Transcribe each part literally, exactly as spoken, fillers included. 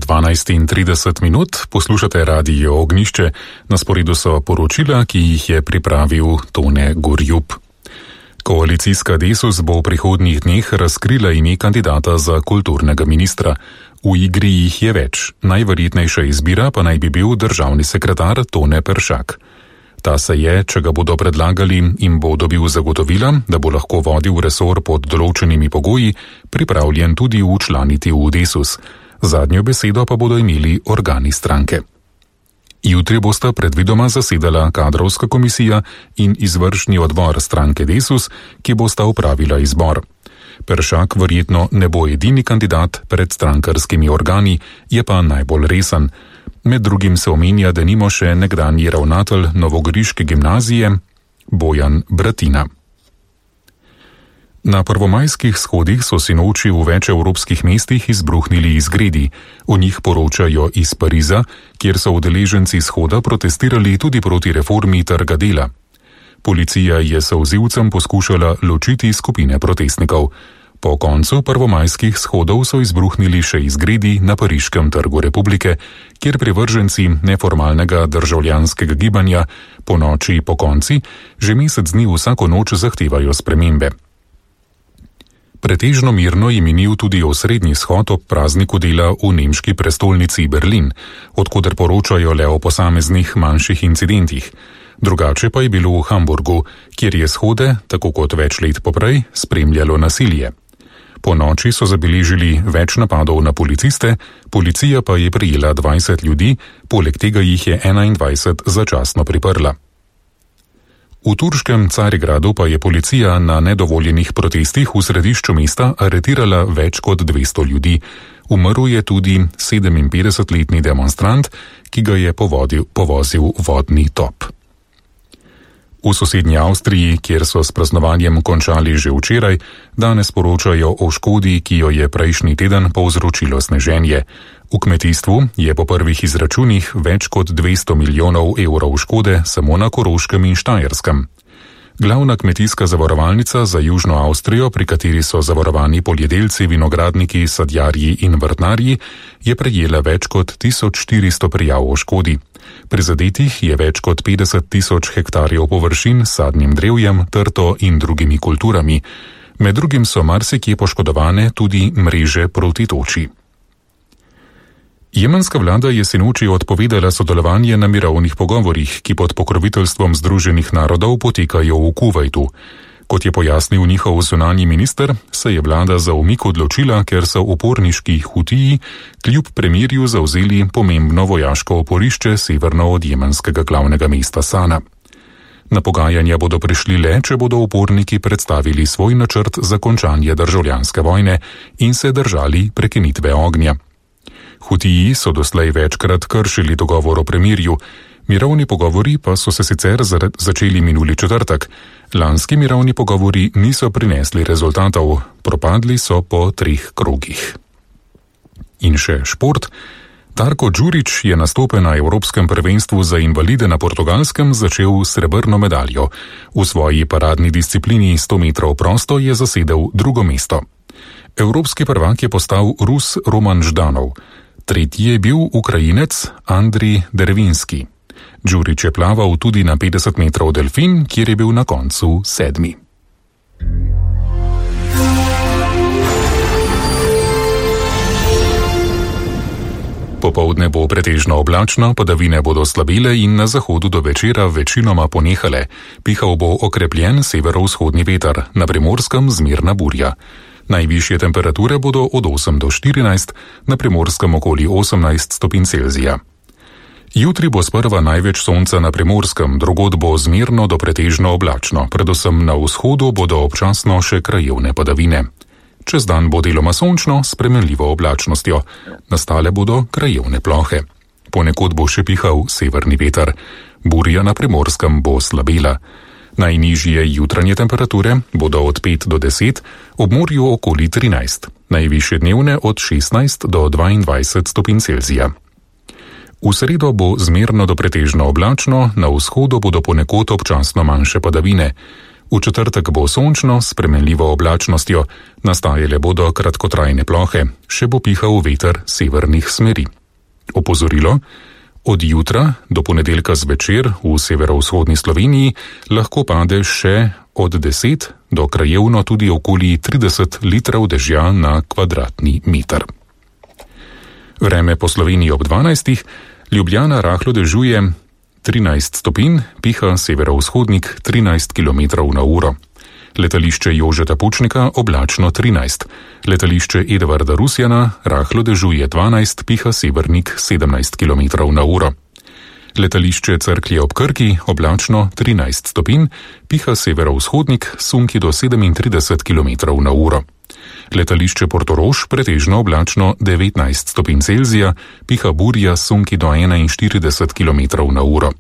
dvanajst in trideset minut, poslušate Radio Ognjišče, na sporedu so poročila, ki jih je pripravil Tone Gorjup. Koalicijska Desus bo v prihodnjih dneh razkrila ime kandidata za kulturnega ministra. V igri jih je več, najverjetnejša izbira pa naj bi bil državni sekretar Tone Peršak. Ta se je, če ga bodo predlagali in bo dobil zagotovila, da bo lahko vodil resor pod določenimi pogoji, pripravljen tudi včlaniti v Desus. Zadnjo besedo pa bodo imeli organi stranke. Jutri bosta predvidoma zasedala kadrovska komisija in izvršni odbor stranke Desus, ki bosta upravila izbor. Peršak verjetno ne bo edini kandidat pred strankarskimi organi, je pa najbolj resen. Med drugim se omenja, da nimo še nekdanji ravnatelj novogoriške gimnazije Bojan Bratina. Na prvomajskih shodih so sinoči v več evropskih mestih izbruhnili izgredi. O njih poročajo iz Pariza, kjer so udeleženci shoda protestirali tudi proti reformi trga dela. Policija je solzivcem poskušala ločiti skupine protestnikov. Po koncu prvomajskih shodov so izbruhnili še izgredi na Pariškem trgu Republike, kjer privrženci neformalnega državljanskega gibanja po noči po konci že mesec dni vsako noč zahtevajo spremembe. Pretežno mirno je minil tudi osrednji shod ob prazniku dela v nemški prestolnici Berlin, odkoder poročajo le o posameznih manjših incidentih. Drugače pa je bilo v Hamburgu, kjer je shode, tako kot več let poprej, spremljalo nasilje. Po noči so zabeležili več napadov na policiste, policija pa je prijela dvajset ljudi, poleg tega jih je enaindvajset začasno priprla. V turškem Carigradu pa je policija na nedovoljenih protestih v središču mesta aretirala več kot dvesto ljudi. Umrl je tudi sedeminpetdesetletni demonstrant, ki ga je povodil, povozil vodni top. V sosednji Avstriji, kjer so s praznovanjem končali že včeraj, danes poročajo o škodi, ki jo je prejšnji teden povzročilo sneženje. V kmetijstvu je po prvih izračunih več kot dvesto milijonov evrov škode samo na Koroškem in Štajerskem. Glavna kmetijska zavarovalnica za Južno Avstrijo, pri kateri so zavarovani poljedelci, vinogradniki, sadjarji in vrtnarji, je prejela več kot tisoč štiristo prijav o škodi. Prizadetih je več kot petdeset tisoč hektarjev površin s sadnim drevjem, trto in drugimi kulturami. Med drugim so marsikje poškodovane tudi mreže proti toči. Jemenska vlada je sinoči odpovedala sodelovanje na mirovnih pogovorih, ki pod pokroviteljstvom Združenih narodov potekajo v Kuvajtu. Kot je pojasnil njihov zunanji minister, se je vlada za umik odločila, ker so uporniški Hutiji kljub premirju zavzeli pomembno vojaško oporišče severno od jemenskega glavnega mesta Sana. Na pogajanja bodo prišli le, če bodo uporniki predstavili svoj načrt za končanje državljanske vojne in se držali prekinitve ognja. Hutiji so doslej večkrat kršili dogovor o premirju, mirovni pogovori pa so se sicer začeli minuli četrtek. Lanski mirovni pogovori niso prinesli rezultatov, propadli so po treh krogih. In še šport. Darko Đurić je nastope na Evropskem prvenstvu za invalide na Portugalskem začel srebrno medaljo. V svoji paradni disciplini sto metrov prosto je zasedel drugo mesto. Evropski prvak je postal Rus Roman Ždanov. Tretji je bil Ukrajinec Andrij Dervinski. Đurić je plaval tudi na petdeset metrov delfin, kjer je bil na koncu sedmi. Popoldne bo pretežno oblačno, padavine bodo slabile in na zahodu do večera večinoma ponehale. Pihal bo okrepljen severovzhodni veter, na Primorskem zmerna burja. Najvišje temperature bodo od osem do štirinajst, na Primorskem okoli osemnajst stopinj Celzija. Jutri bo sprva največ sonca na Primorskem, drugod bo zmerno do pretežno oblačno, predvsem na vzhodu bodo občasno še krajevne padavine. Čez dan bo deloma sončno s spremenljivo oblačnostjo, nastale bodo krajevne plohe. Ponekod bo še pihal severni veter, burja na Primorskem bo slabela. Najnižje jutranje temperature bodo od pet do deset, ob morju okoli trinajst, najvišje dnevne od šestnajst do dvaindvajset stopinj Celzija. V sredo bo zmerno do pretežno oblačno, na vzhodu bodo ponekod občasno manjše padavine. V četrtek bo sončno s spremenljivo oblačnostjo, nastajale bodo kratkotrajne plohe, še bo pihal veter severnih smeri. Opozorilo: od jutra do ponedeljka zvečer v severovzhodni Sloveniji lahko pade še od deset do krajevno tudi okoli trideset litrov dežja na kvadratni meter. Vreme po Sloveniji ob dvanajstih, Ljubljana rahlo dežuje, trinajst stopinj, piha severovzhodnik trinajst kilometrov na uro. Letališče Jožeta Pučnika oblačno trinajst, letališče Edvarda Rusjana rahlo dežuje dvanajst, piha severnik sedemnajst kilometrov na uro. Letališče Cerklje ob Krki oblačno trinajst stopinj, piha severovzhodnik sunki do sedemintrideset kilometrov na uro. Letališče Portorož pretežno oblačno devetnajst stopinj Celzija, piha burja sunki do enainštirideset kilometrov na uro.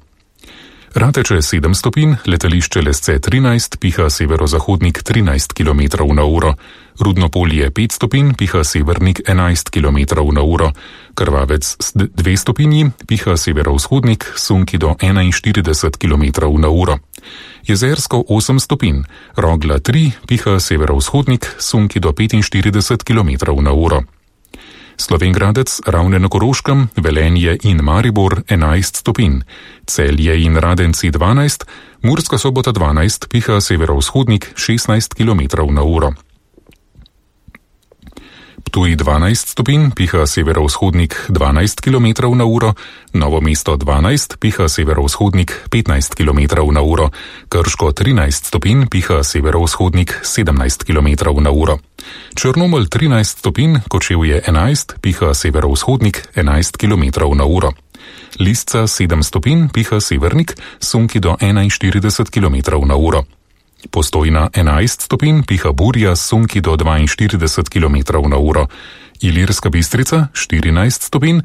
Rateče sedem stopinj, letališče Lesce trinajst, piha severozahodnik trinajst kilometrov na uro. Rudnopolje pet stopinj, piha severnik enajst kilometrov na uro. Krvavec dve stopinji, piha severovzhodnik sunki do enainštirideset kilometrov na uro. Jezersko osem stopinj, Rogla tri, piha severovzhodnik sunki do petinštirideset kilometrov na uro. Slovenj Gradec, Ravne na Koroškem, Velenje in Maribor enajst stopinj, Celje in Radenci dvanajst, Murska Sobota dvanajst, piha severovzhodnik šestnajst kilometrov na uro. Ptuj dvanajst stopinj, piha severovzhodnik dvanajst kilometrov na uro, Novo mesto dvanajst, piha severovzhodnik petnajst kilometrov na uro, Krško trinajst stopinj, piha severovzhodnik sedemnajst kilometrov na uro. Črnomelj trinajst stopinj, Kočevje enajst, piha severovzhodnik enajst kilometrov na uro. Lisca sedem stopinj, piha severnik, sunki do enainštirideset kilometrov na uro. Postojna enajst stopinj, piha burja sunki do dvainštirideset kilometrov na uro. Ilirska Bistrica štirinajst stopinj,